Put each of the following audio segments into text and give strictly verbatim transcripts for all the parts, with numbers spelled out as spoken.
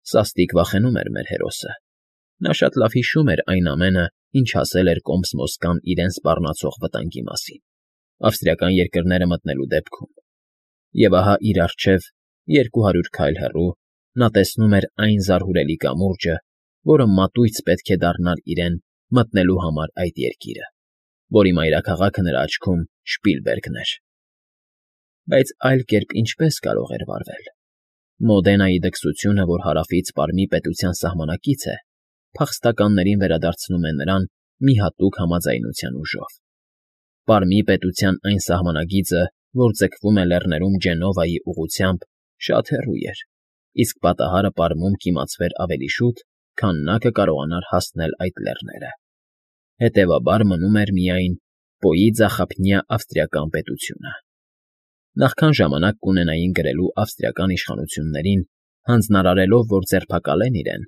Սաստիկ վախենում էր մեր հերոսը։ Նա շատ լավ հիշում էր այն ամենը, ինչ ասել էր Կոմս֊Մոսկան իրեն սպառնացող վտանգի մասին, ավստրիական երկրները մտնելու դեպքում։ Եվ ահա իր առջև, երկու հարյուր քայլ հեռու, նա տեսնում էր այն զարհուրելի կամուրջը, որը մատույց պետք է դառնար իրեն մտնելու համար այդ երկիրը, որի մայրաքաղաքը նրա աչքում Շպիլբերգն էր։ Բայց այլ կերպ ինչպե՞ս կարող էր վարվել։ Մոդենայի դքսությունը, որ հարավից Պարմի պետության սահմանակից է, փախստականներին վերադարձնում է նրան մի հատուկ համաձայնության ուժով։ Պարմի պետության այն սահմանագիծը, որ ձգվում է լեռներում Ջենովայի ուղղությամբ, շատ հեռու էր, իսկ պատահարը Պարմում կիմացվեր ավելի շուտ, քան նա կկարողանար հասնել այդ լեռները։ Հետևաբար մնում էր միայն Պոյիձախափնյա ավստրիական պետությունը։ Նախքան ժամանակ կունենային գրելու ավստրիական իշխանություններին, հանձնարարելով, որ ձերբակալեն իրեն,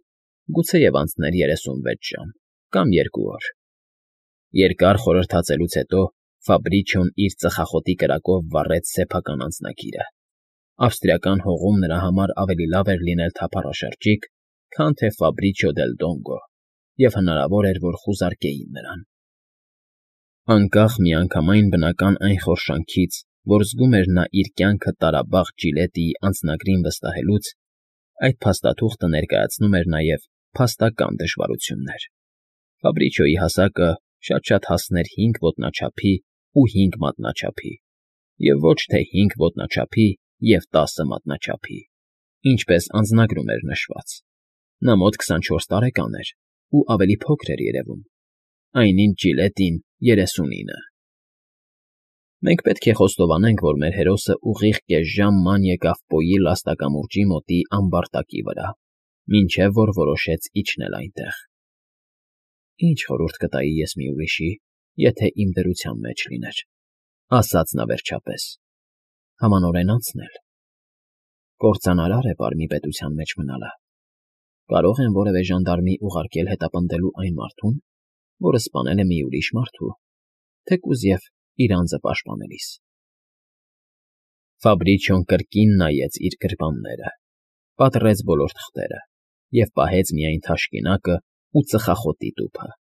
գուցեև անցներ երեսունվեց ժամ կամ երկու օր։ Երկար խորհրդածելուց հետո Ֆաբրիչոն իր ծխախոտի կրակով վառեց սեփական անձնագիրը։ Ավստրիական հողում նրա համար ավելի լավ էր լինել թափառաշրջիկ, քան թե Ֆաբրիչո դել Դոնգո, և հնարավոր էր, որ խուզարկեին նրան։ Անկախ միանգամայն բնական այն խորշանքից, որ զգում էր նա իր կյանքը տարաբաղ Ջիլետիի անձնագրին վստահելուց, այդ փաստաթուղթը ներկայացնում էր նաև փաստական դժվարություններ։ Ֆաբրիչոյի հասակը շատ-շատ հասներ հինգ ոտնաչափի ու հինգ մատնաչափի, և ոչ թե հինգ ոտնաչափի և տասը մատնաչափի, ինչպես անձնագրում էր նշված։ Նա մոտ քսանչորս տարեկան էր ու ավելի փոքր էր երևում, այնինչ Ջիլետին երեսունինը։ Մենք պետք է խոստովանենք, որ մեր հերոսը ուղիղ կես ժամ ման եկավ Պոյի լաստակամուրջի մոտի ամբարտակի վրա, մինչև որ որոշեց իջնել այնտեղ։ «Ինչ խորհուրդ կտայի ես մի ուրիշի, եթե իմ դրության մեջ լիներ,֊ ասաց նա վերջապես,֊ Համանորեն անցնել։ Կործանարար է Պարմի պետության մեջ մնալը։ Կարո՞ղ եմ որևէ ժանդարմի ուղարկել հետապնդելու այն մարդուն, որը սպանել է մի ուրիշ մարդու, թեկուզ և իր անձը պաշտպանելիս»։ Ֆաբրիչոն կրկին նայեց իր գրպանները, պատռեց բոլոր թղթերը և պահեց միայն թաշկինակը ու ծխախոտի տուփը։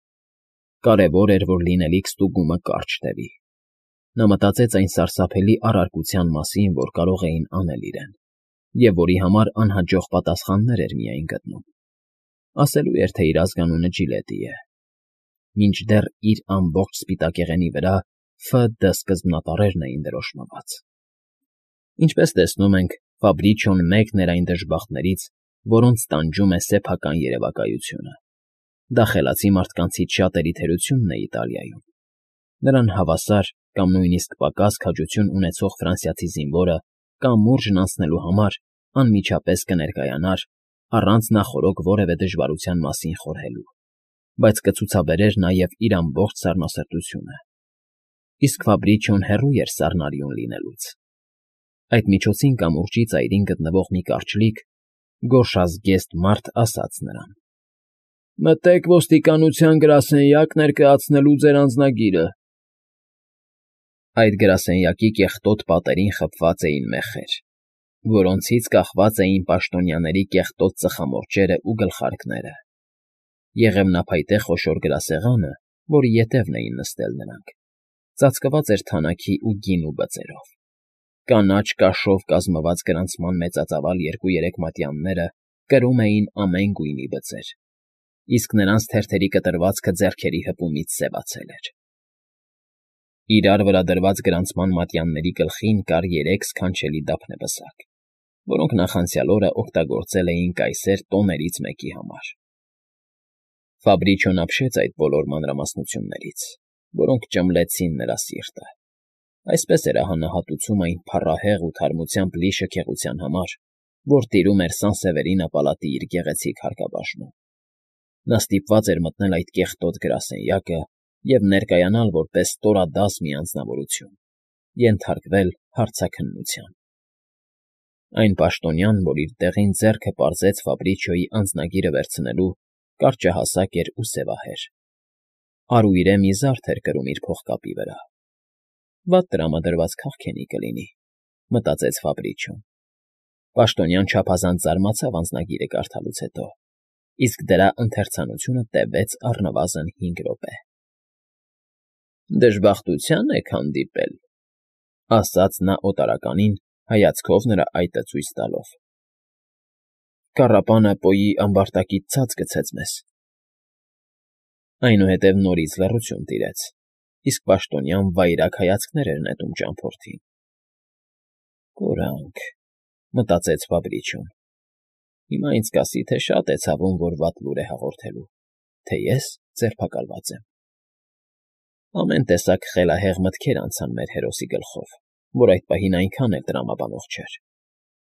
Կարևոր էր, որ լինելիք ստուգումը կարճ տևի։ Նա մտածեց այն սարսափելի առարկության մասին, որ կարող էին անել իրեն, և որի համար անհաջող պատասխաններ էր միայն գտնում։ Ասելու էր, թե իր ազգանունը Ջիլետի է։ Մինչդեռ իր ամբողջ սպիտակեղենի վրա Ֆ Դ սկզբնատառերն էին դրոշմված։ Ինչպես տեսնում ենք, Ֆաբրիչոն մեկն էր այն դժբախտներից, որոնց տանջում է սեփական երևակայությունը։ Դա խելացի մարդկանցից շատերի թերությունն է Իտալիայում։ Նրան հավասար կամ նույնիսկ պակաս քաջություն ունեցող ֆրանսիացի զինվորը կամուրջն անցնելու համար անմիջապես կներկայանար, առանց նախօրոք որևէ դժվարության մասին խորհելու, բայց կցուցաբերեր նաև իր ամբողջ սառնասրտությունը։ Իսկ Ֆաբրիչոն հեռու էր սառնարյուն լինելուց։ Այդ միջոցին կամուրջի ծայրին գտնվող մի կարճլիկ, գորշազգեստ մարդ ասաց նրան. «Մտեք ոստիկանության գրասենյակ ներկայացնելու ձեր անձնագիրը»։ Այդ գրասենյակի կեղտոտ պատերին խփված էին մեխեր, որոնցից կախված էին պաշտոնյաների կեղտոտ ծխամորճերը ու գլխարկները։ Եղևնափայտե խոշոր գրասեղանը, որի ետևն էին նստել նրանք, ծածկված էր թանաքի ու գինու բծերով։ Կանաչ կաշով կազմված գրանցման մեծածավալ երկու֊երեք մատյանները կրում էին ամեն գույնի բծեր, իսկ նրանց թերթերի կտրվածքը ձեռքերի հպումից սևացել էր։ Իրար վրա դրված գրանցման մատյանների գլխին կար երեք սքանչելի դափնեպսակ, որոնք նախանցյալ օրը օգտագործել էին կայսեր տոներից մեկի համար։ Ֆաբրիչոն ապշեց այդ բոլոր մանրամասնություններից, որոնք ճմլեցին նրա սիրտը։ Այսպես էր ահանահատուցում այն փառահեղ ու թարմությամբ լի շքեղության համար, որ տիրում էր Սան֊Սևերինա պալատի իր գեղեցիկ հարկաբաժնում։ Նա ստիպված էր մտնել այդ կեղտոտ գրասենյակը և ներկայանալ որպես ստորադաս մի անձնավորություն, ենթարկվել հարցաքննության։ Այն պաշտոնյան, որ իր տեղին ձեռքը պարզեց Ֆաբրիչոյի անձնագիրը վերցնելու, կարճահասակ էր ու սևահեր։ Արուիրե մի զարդ էր կրում իր փողկապի վրա։ «Վատ տրամադրված քաղքենի կլինի», մտածեց Ֆաբրիչոն։ Պաշտոնյան չափազանց զարմացավ անձնագիրը կարդալուց հետո, իսկ դրա ընթերցանությունը տևեց առնվազն հինգ րոպե։ ֊ Դժբախտության եք հանդիպել,֊ ասաց նա օտարականին, հայացքով նրա այտը ցույց տալով։ ֊ Կառապանը Պոյի ամբարտակից ցած գցեց մեզ… Այնուհետև նորից լռություն տիրեց, իսկ պաշտոնյան վայրագ հայացքներ էր նետում ճամփորդին։ «Կորանք,֊ մտածեց Ֆաբրիչոն,֊ հիմա ինձ կասի, թե շատ է ցավում, որ վատ լուր է հաղորդելու, թե ես ձերբակալված եմ»։ Ամեն տեսակ խելահեղ մտքեր անցան մեր հերոսի գլխով, որ այդ պահին այնքան էլ տրամաբանող չէր։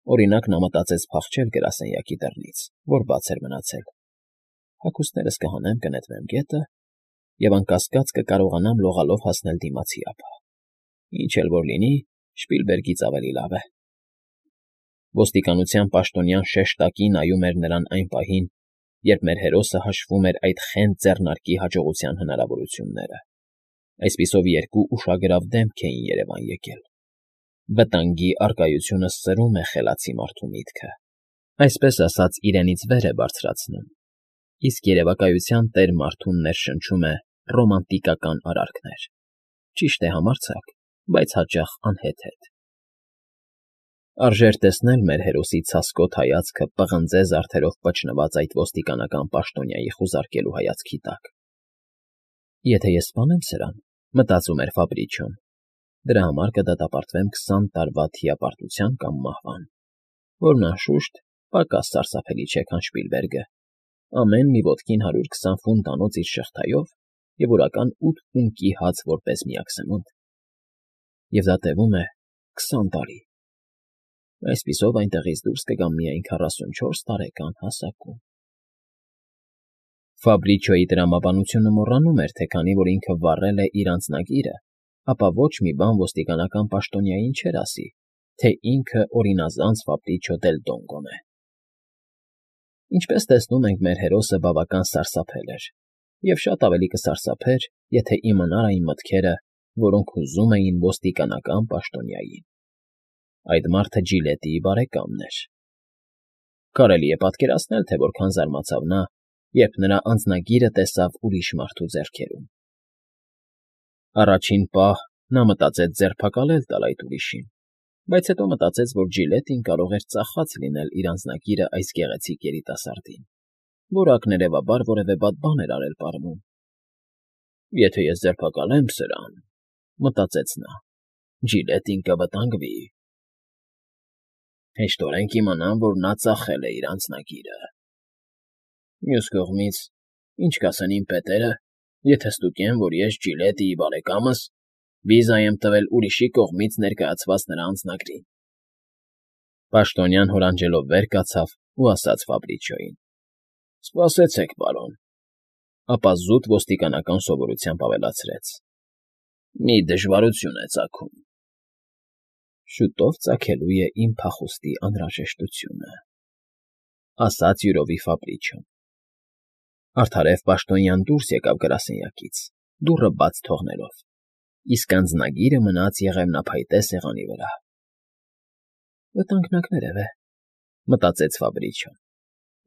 Օրինակ, նա մտածեց փախչել գրասենյակի դռնից, որ բաց էր մնացել։ Հագուստներս կհանեմ, կնետվեմ գետը և անկասկած կկարողանամ լողալով հասնել դիմացի ափ։ Ինչ էլ որ լինի, Շպիլբերգից ավելի լավ է։ Ոստիկանության պաշտոնյան շեշտակի նայում էր նրան այն պահին, երբ մեր հերոսը հաշվում էր այդ խենթ ձեռնարկի հաջողության հնարավորությունները։ Այսպիսով երկու ուշագրավ դեմք էին երևան եկել։ Վտանգի առկայությունը սրում է խելացի մարդու միտքը, այսպես ասած իրենից վեր է բարձրացնում, իսկ երևակայության տեր մարդուն ներշնչում է ռոմանտիկական արարքներ։ Ճիշտ է, համարձակ, բայց հաճախ անհեթեթ։ Արժեր տեսնել մեր հերոսի ցասկոտ հայացքը պղնձե զարդերով պճնված այդ ոստիկանական պաշտոնյայի խուզարկելու հայացքի տակ։ Եթե ես սպանեմ սրան, մտածում էր Ֆաբրիչոն, դրա համար կդատապարտվեմ քսան տարվա թիապարտության կամ մահվան, որն անշուշտ պակաս սարսափելի չէ, քան Շպիլբերգը, ամեն մի ոտքին հարյուր քսան ֆունտ անոց իր շղթայով և օրական ութ ունկի հաց որպես միակսնունդ։ Եվ դա տևում է քսան տարի։ Այսպիսով այնտեղից դուրս կգամ միայն քառասունչորս տարեկան հասակում։ Ֆաբրիչոյի տրամաբանությունը մոռանում էր, թե քանի որ ինքը վառել է իր անձնագիրը, ապա ոչ մի բան ոստիկանական պաշտոնյային չէր ասի, թե ինքը օրինազանց Ֆաբրիչո դել Դոնգոն է։ Ինչպես տեսնում ենք, մեր հերոսը բավական սարսափել էր, և շատ ավելի կսարսափեր, եթե իմանար այն մտքերը, որոնք հուզում էին ոստիկանական պաշտոնյային։ Այդ մարդը Ջիլետիի բարեկամն էր։ Կարելի է պատկերացնել, թե որքան զարմացավ նա, երբ նրա անձնագիրը տեսավ ուրիշ մարդու ձեռքերում։ Առաջին պահ նա մտածեց ձերբակալել տալ այդ ուրիշին, բայց հետո մտածեց, որ Ջիլետին կարող էր ծախած լինել իր անձնագիրը այս գեղեցիկ երիտասարդին, որ ակներևաբար որևէ վատ բան էր արել պարվում։ «Եթե ես ձերբակալեմ սրան,֊ մտածեց նա,֊ Ջիլետին կվտանգվի։ Հեշտորեն կիմանամ, որ նա ծախել է իր անձնագիրը։ Մյուս կողմից, ինչ կասեն իմ պետերը, եթե ստուգեն, որ ես Ջիլետիի բարեկամս վիզա եմ տվել ուրիշի կողմից ներկայացված նրա անձնագրին»։ Պաշտոնյան հորանջելով վեր կացավ ու ասաց Ֆաբրիչոյին. «Սպասեցեք, պարոն», ապա զուտ ոստիկանական սովորությամբ ավելացրեց. «Մի դժվարություն է ծագում»։ «Շուտով ծագելու է իմ փախուստի անհրաժեշտությունը», ասաց յուրովի Ֆաբրիչոն։ Արդարև պաշտոնյան դուրս եկավ գրասենյակից, դուռը բաց թողնելով, իսկ անձնագիրը մնաց եղևնափայտե սեղանի վրա։ «Վտանգնակներև է,֊ մտածեց Ֆաբրիչոն,֊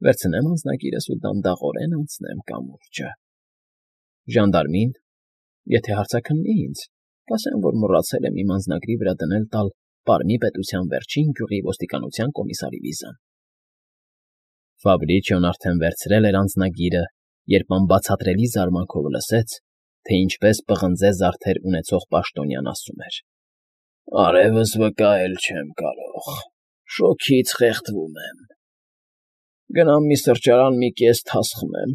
վերցնեմ անձնագիրս ու դանդաղորեն անցնեմ կամուրջը։ Ժանդարմին, եթե հարցաքննի ինձ, կասեմ, որ մոռացել եմ իմ անձնագրի վրա դնել տալ Պարմի պետության վերջին գյուղի ոստիկանության կոմիսարի վիզան»։ Ֆաբրիչոն արդեն վերցրել էր անձնագիրը, երբ անբացատրելի զարմանքով լսեց, թե ինչպես պղնձե զարդեր ունեցող պաշտոնյան ասում էր. «Արևս վկայել չեմ կարող, շոգից խեղդվում եմ։ Գնամ մի սրճարան մի կես թաս խմեմ։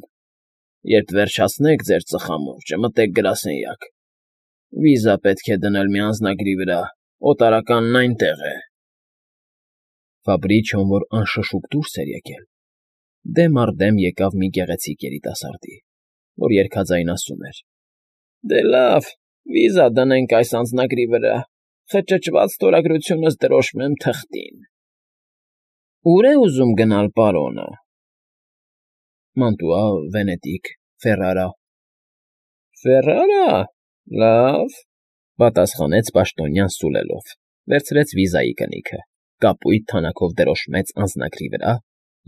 Երբ վերջացնեք ձեր ծխամորճը, մտեք գրասենյակ։ Վիզա պետք է դնել մի անձնագրի վրա, օտարականն այնտեղ է»։ Ֆաբրիչոն, որ անշշուկ դուրս էր եկել, դեմ առ դեմ եկավ մի գեղեցիկ երիտասարդի, որ երգաձայն ասում էր. «Դե լավ, վիզա դնենք այս անձնագրի վրա, խճճված ստորագրությունս դրոշմեմ թղթին»։ «Ո՞ւր է ուզում գնալ պարոնը»։ «Մանտուա, Վենետիկ, Ֆերարա»։ «Ֆերարա, լավ,֊ պատասխանեց պաշտոնյան սուլելով, վերցրեց վիզայի կնիքը կապույտ թանաքով դրոշմեց անձնագրի վրա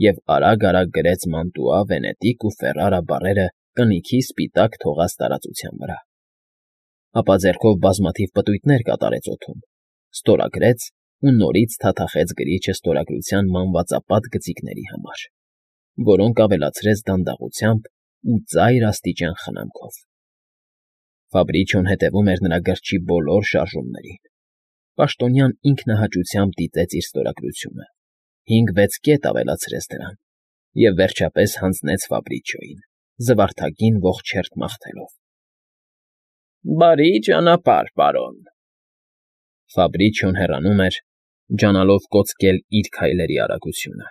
և արագ֊արագ գրեց Մանտուա, Վենետիկ ու Ֆերրարա բառերը կնիքի սպիտակ թողած տարածության վրա, ապա ձեռքով բազմաթիվ պտույտներ կատարեց օդում, ստորագրեց ու նորից թաթախեց գրիչը ստորագրության մանվածապատ գծիկների համար, որոնք ավելացրեց դանդաղությամբ ու ծայր աստիճան խնամքով։ Ֆաբրիչոն հետևում էր նրա գրչի բոլոր շարժումներին։ Պաշտոնյան ինքնահաճությամբ դիտեց իր ստորագրությունը, հինգ֊վեց կետ ավելացրեց դրան և վերջապես հանձնեց Ֆաբրիչոյին, զվարթագին ողջերթ մաղթելով։ ֊ Բարի ճանապարհ, պարոն… Ֆաբրիչոն հեռանում էր, ջանալով կոծկել իր քայլերի արագությունը,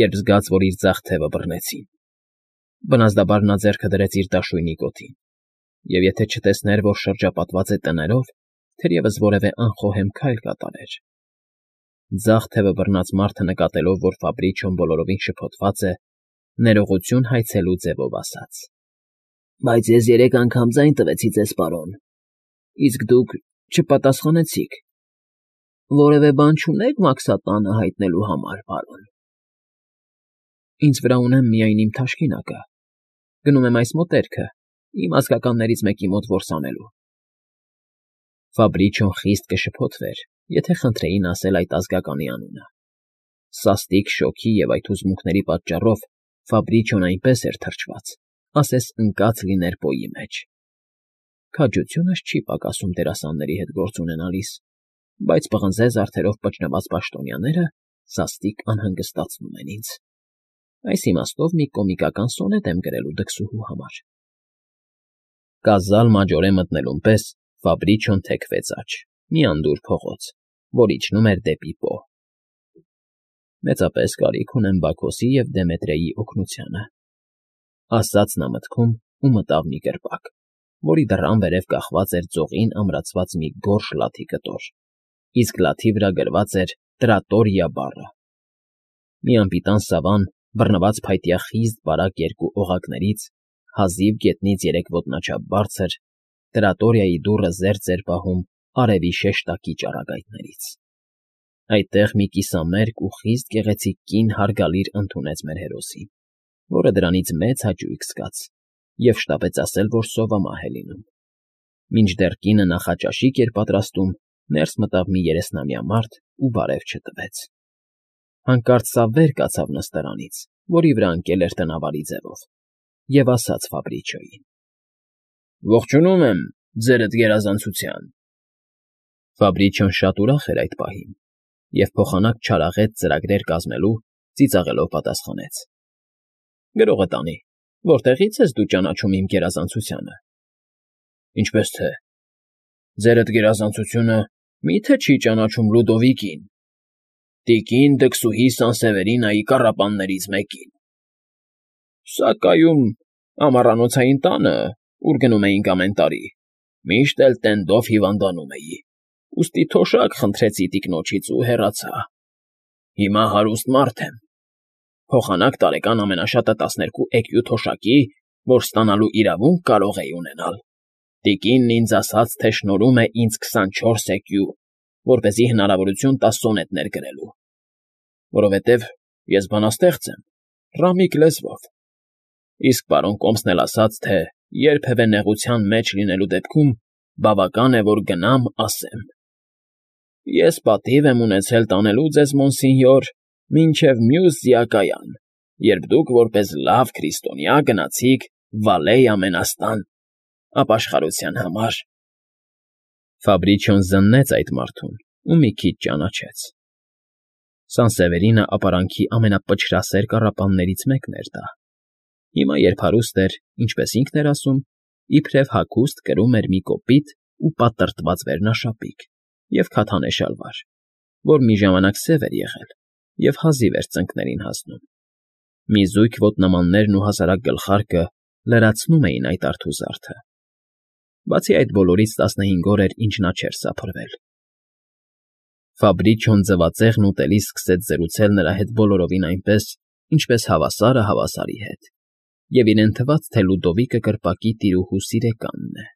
երբ զգաց, որ իր ձախ թևը բռնեցին։ Բնազդաբար նա ձեռքը դրեց իր դաշույնի կոթին, և եթե չտեսներ, որ շրջապատված է տներով, թերևս որևէ անխոհեմ քայլ կատարեր։ Ձախ թևը բռնած մարդը նկատելով, որ Ֆաբրիչոն բոլորովին շփոթված է, ներողություն հայցելու ձևով ասաց. ֊ Բայց ես երեք անգամ ձայն տվեցի ձեզ, պարոն, իսկ դուք չպատասխանեցիք… Որևէ բան չունե՞ք մաքսատանը հայտնելու համար, պարոն… ֊ Ինձ վրա ունեմ միայն իմ թաշկինակը, գնում եմ այս մոտերքը, իմ ազգականներից մեկի մոտ որս անելու… Ֆաբրիչոն խիստ կշփոթվեր, եթե խնդրեին ասել այդ ազգականի անունը։ Սաստիկ շոգի և այդ հուզմունքների պատճառով Ֆաբրիչոն այնպես էր թրջված, ասես ընկած լիներ պոյի մեջ։ Քաջությունս չի պակասում դերասանների հետ գործ ունենալիս, բայց պղնձե զարդերով պճնված պաշտոնյաները սաստիկ անհանգստացնում են ինձ։ Այս իմաստով մի կոմիկական սոնետ եմ գրելու դքսուհու համար… Կազալ մաջորե մտնելուն պես Ֆաբրիչոն թեքվեց աջ, մի անդուր փողոց, որ իջնում էր դեպի Պո։ «Մեծապես կարիք ունեմ Բաքոսի և Դեմետրեի օգնությանը», ասաց նա մտքում ու մտավ մի կրպակ, որի դռան վերև կախված էր ձողին ամրացված մի գորշ լաթի կտոր, իսկ լաթի վրա գրված էր Տրատորիա բառը։ Մի անպիտան սավան, բռնված փայտյա խիզտ բարակ երկու օղակներից, հազիվ գետնից երեք ոտնաչափ բարձր, Տրատորիայի դուռը զերծ էր պահում արևի շեշտակի ճառագայթներից։ Այդտեղ մի կիսամերկ ու խիստ գեղեցիկ կին հարգալիր ընդունեց մեր հերոսին, որը դրանից մեծ հաճույք զգաց և շտապեց ասել, որ սովամահ է լինում։ Մինչդեռ կինը նախաճաշիկ էր պատրաստում, ներս մտավ մի երեսնամյա մարդ ու բարև չտվեց։ Հանկարծ սա վեր կացավ նստարանից, որի վրա ընկել էր տնավարի ձևով, և ասաց Ֆաբրիչոյին. ֊ Ողջունում եմ, ձերդ գերազանցության… Ֆաբրիչոն շատ ուրախ էր այդ պահին և փոխանակ չարաղետ ծրագրեր կազմելու ծիծաղելով պատասխանեց. ֊ Գրողը տանի, որտեղի՞ց ես դու ճանաչում իմ գերազանցությանը։ ֊ Ինչպես թե… Ձերդ գերազանցությունը մի՞թե չի ճանաչում Լյուդովիկին, տիկին դքսուհի Սանսևերինայի կառապաններից մեկին։ ֊ Սակայում ամառանոցային տանը, ուր գնում էինք ամեն տարի, միշտ էլ տենդով հիվանդանում էի, ուստի թոշակ խնդրեցի տիկնոջից ու հեռացա… Հիմա հարուստ մարդ եմ, փոխանակ տարեկան ամենաշատը տասներկու էկյու թոշակի, որ ստանալու իրավունք կարող էի ունենալ, տիկինն ինձ ասաց, թե շնորհում է ինձ քսանչորս էկյու, որպեսզի հնարավորություն տա սոնետներ գրելու, որովհետև ես բանաստեղծ եմ, ռամիկ լեզվով, իսկ պարոն կոմսն էլ ասաց, թե երբևէ նեղության մեջ լինելու դեպքում բավական է, որ գնամ, ասեմ… Ես պատիվ եմ ունեցել տանելու ձեզ, մոնսինյոր, մինչև մյուս զիակայան, երբ դուք որպես լավ քրիստոնյա գնացիք Վալեյ ամենաստան ապաշխարության համար… Ֆաբրիչոն զննեց այդ մարդուն ու մի քիչ ճանաչեց… Սանսևերինը ապարանքի ամենապչրասեր կառապաններից մեկն էր դա։ Հիմա, երբ հարուստ էր, ինչպես ինքն էր ասում, իբրև հագուստ կրում էր մի կոպիտ ու պատրտված վերնաշապիկ և քաթանե շալվար, որ մի ժամանակ սև էր եղել և հազիվ էր ծնկներին հասնում։ Մի զույգ ոտնամաններն ու հասարակ գլխարկը լրացնում էին այդ արթուզարդը։ Բացի այդ բոլորից տասնհինգ օր էր, ինչ նա չէր սափրվել։ Ֆաբրիչոն ձվածեղն ուտելիս սկսեց զրուցել նրա հետ բոլորովին այնպես, ինչպես հավասարը հավասարի հետ, և իրեն թվաց, թե Լյուդովիկը կրպակի տիրուհու սիրեկանն է։